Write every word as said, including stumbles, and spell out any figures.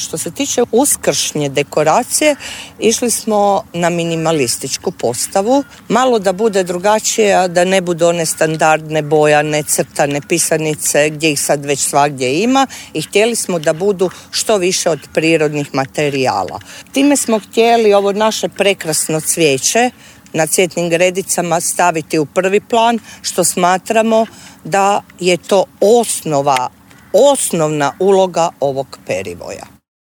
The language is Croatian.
Što se tiče uskršnje dekoracije, išli smo na minimalističku postavu. Malo da bude drugačije, a da ne budu one standardne bojane, crtane pisanice gdje ih sad već svagdje ima i htjeli smo da budu što više od prirodnih materijala. Time smo htjeli ovo naše prekrasno cvijeće na cvjetnim gredicama staviti u prvi plan, što smatramo da je to osnova, osnovna uloga ovog perivoja.